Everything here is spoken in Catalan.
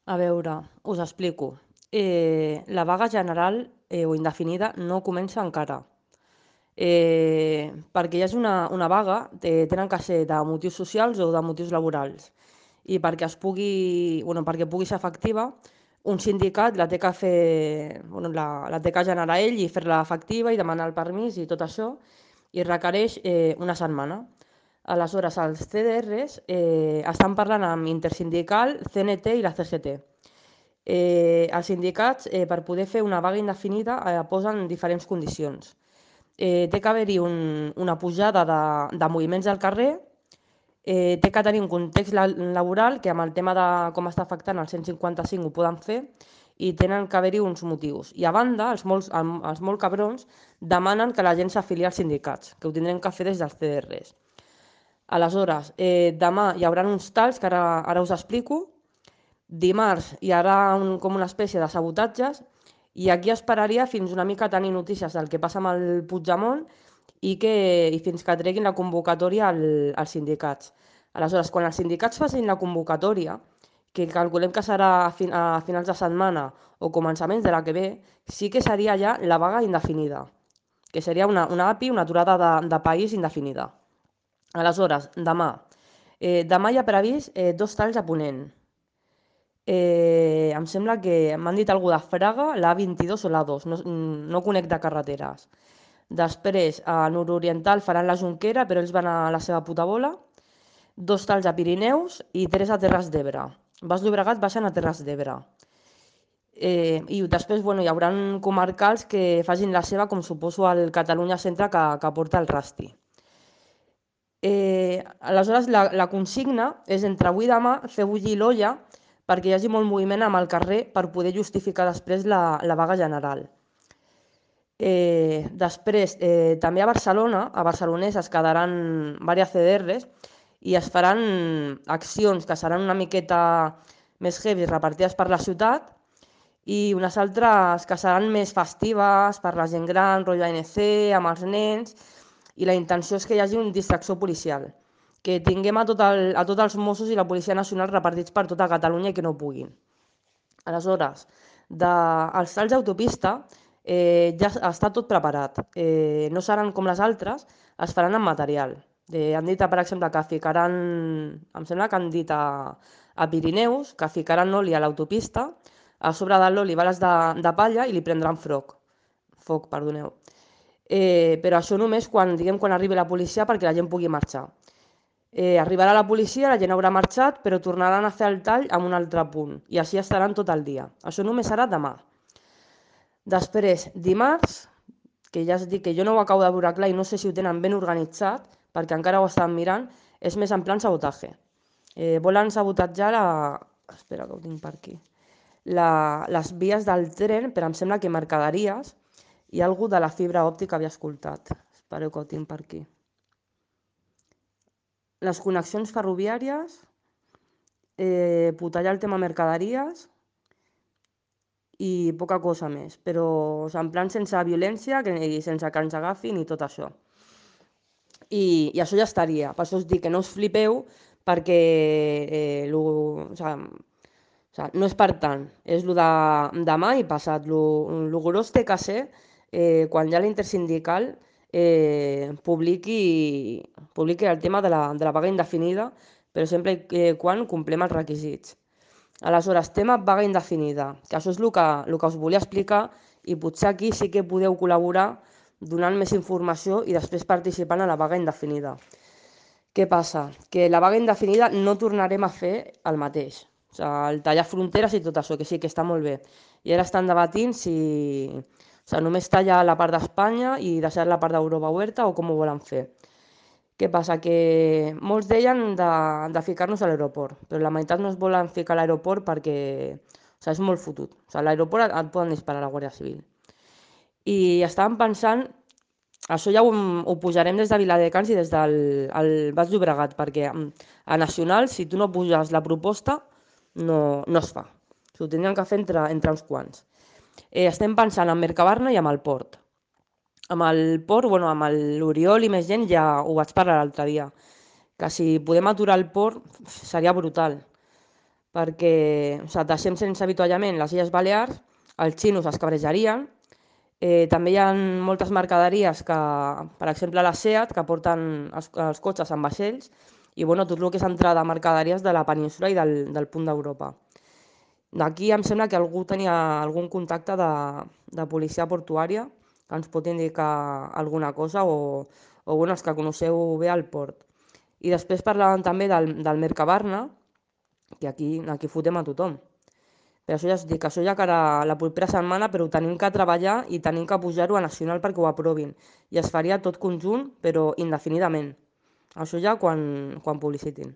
A veure, us explico. La vaga general o indefinida no comença encara. Perquè hi hagi una vaga tenen que ser de motius socials o de motius laborals. I perquè pugui ser efectiva, un sindicat la té que fer, la té que generar ell i fer-la efectiva i demanar el permís i tot això, i requereix una setmana. Aleshores, els CDRs estan parlant amb Intersindical, CNT i la CGT. Els sindicats, per poder fer una vaga indefinida, posen diferents condicions. Té que haver-hi una pujada de moviments al carrer, té que tenir un context laboral que amb el tema de com està afectant el 155 ho poden fer i tenen que haver-hi uns motius. I a banda, els molt cabrons demanen que la gent s'afili als sindicats, que ho tindrem que fer des dels CDRs. Aleshores, demà hi haurà uns talls que ara us explico. Dimarts hi haurà com una espècie de sabotatges i aquí esperaria fins una mica tenir notícies del que passa amb el Puigdemont i fins que treguin la convocatòria als sindicats. Aleshores, quan els sindicats facin la convocatòria, que calculem que serà a finals de setmana o començaments de la que ve, sí que seria ja la vaga indefinida, que seria una API, una aturada de país indefinida. Aleshores, demà hi ha previst dos talls a Ponent. Em sembla que m'han dit algú de Fraga, l'A22 o l'A2, no conec de carreteres. Després, a nord-oriental faran la Jonquera, però ells van a la seva puta bola. Dos talls a Pirineus i tres a Terres d'Ebre. Baix Llobregat baixen a Terres d'Ebre. I després hi haurà comarcals que facin la seva, com suposo al Catalunya Centre que porta el Rasti. Aleshores, la consigna és entre avui i demà fer bullir l'olla perquè hi hagi molt moviment amb el carrer per poder justificar després la vaga general. Després, també a Barcelona, a Barcelonès es quedaran diverses CDRs i es faran accions que seran una miqueta més heavy repartides per la ciutat i unes altres que seran més festives per la gent gran, rotllo ANC, amb els nens, i la intenció és que hi hagi una distracció policial, que tinguem a tots els Mossos i la Policia Nacional repartits per tota Catalunya i que no puguin. Aleshores, els talls d'autopista ja està tot preparat. No seran com les altres, es faran amb material. Han dit, per exemple, que ficaran, em sembla que han dit a Pirineus, que ficaran oli a l'autopista, a sobre de l'oli bales de palla i li prendran foc, perdoneu. Però això només quan arribi la policia perquè la gent pugui marxar. Arribarà la policia, la gent haurà marxat, però tornaran a fer el tall en un altre punt i així estaran tot el dia. Això només serà demà. Després, dimarts, que ja es dic que jo no ho acabo de veure clar i no sé si ho tenen ben organitzat, perquè encara ho estan mirant, és més en plan sabotatge. Volen sabotatjar Espera, que ho tinc per aquí. Les vies del tren, però em sembla que mercaderies, i algú de la fibra òptica havia escoltat. Espereu que ho tinc per aquí. Les connexions ferroviàries, putallar el tema mercaderies i poca cosa més, però en plan sense violència i sense que ens agafin i tot això. I això ja estaria. Per això us dic que no us flipeu perquè no és per tant. És el de demà i passat. Lo gros té que ser quan ja l'intersindical publiqui el tema de la vaga indefinida, però sempre quan complem els requisits. Aleshores, tema vaga indefinida, que això és el que us volia explicar i potser aquí sí que podeu col·laborar donant més informació i després participant a la vaga indefinida. Què passa? Que la vaga indefinida no tornarem a fer el mateix. O sigui, el tallar fronteres i tot això, que sí, que està molt bé. I ara estan debatint si només tallar la part d'Espanya i deixar la part d'Europa oberta o com ho volen fer. Què passa? Que molts deien de ficar-nos a l'aeroport, però la meitat no es volen ficar a l'aeroport perquè és molt fotut. A l'aeroport et poden disparar a la Guàrdia Civil. I estàvem pensant, això ja ho pujarem des de Viladecans i des del Baix Llobregat, perquè a Nacional, si tu no puges la proposta, no es fa. Ho tindrien que fer entre uns quants. Estem pensant en Mercabarna i amb el port. Amb el port, amb l'Oriol i més gent ja ho vaig parlar l'altre dia, que si podem aturar el port seria brutal, perquè deixem sense avituallament les Illes Balears, els xinos es cabrejarien. També hi ha moltes mercaderies que, per exemple, la SEAT, que porten els cotxes amb vaixells, i tot el que és entrada de mercaderies de la península i del punt d'Europa. D'aquí em sembla que algú tenia algun contacte de policia portuària que ens pot indicar alguna cosa o els que coneixeu bé el port. I després parlàvem també del Mercabarna, que aquí fotem a tothom. Per això ja us dic, això ja cara la propera setmana, però ho tenim que treballar i tenim que pujar-ho a nacional perquè ho aprovin. I es faria tot conjunt, però indefinidament. Això ja quan publicitin.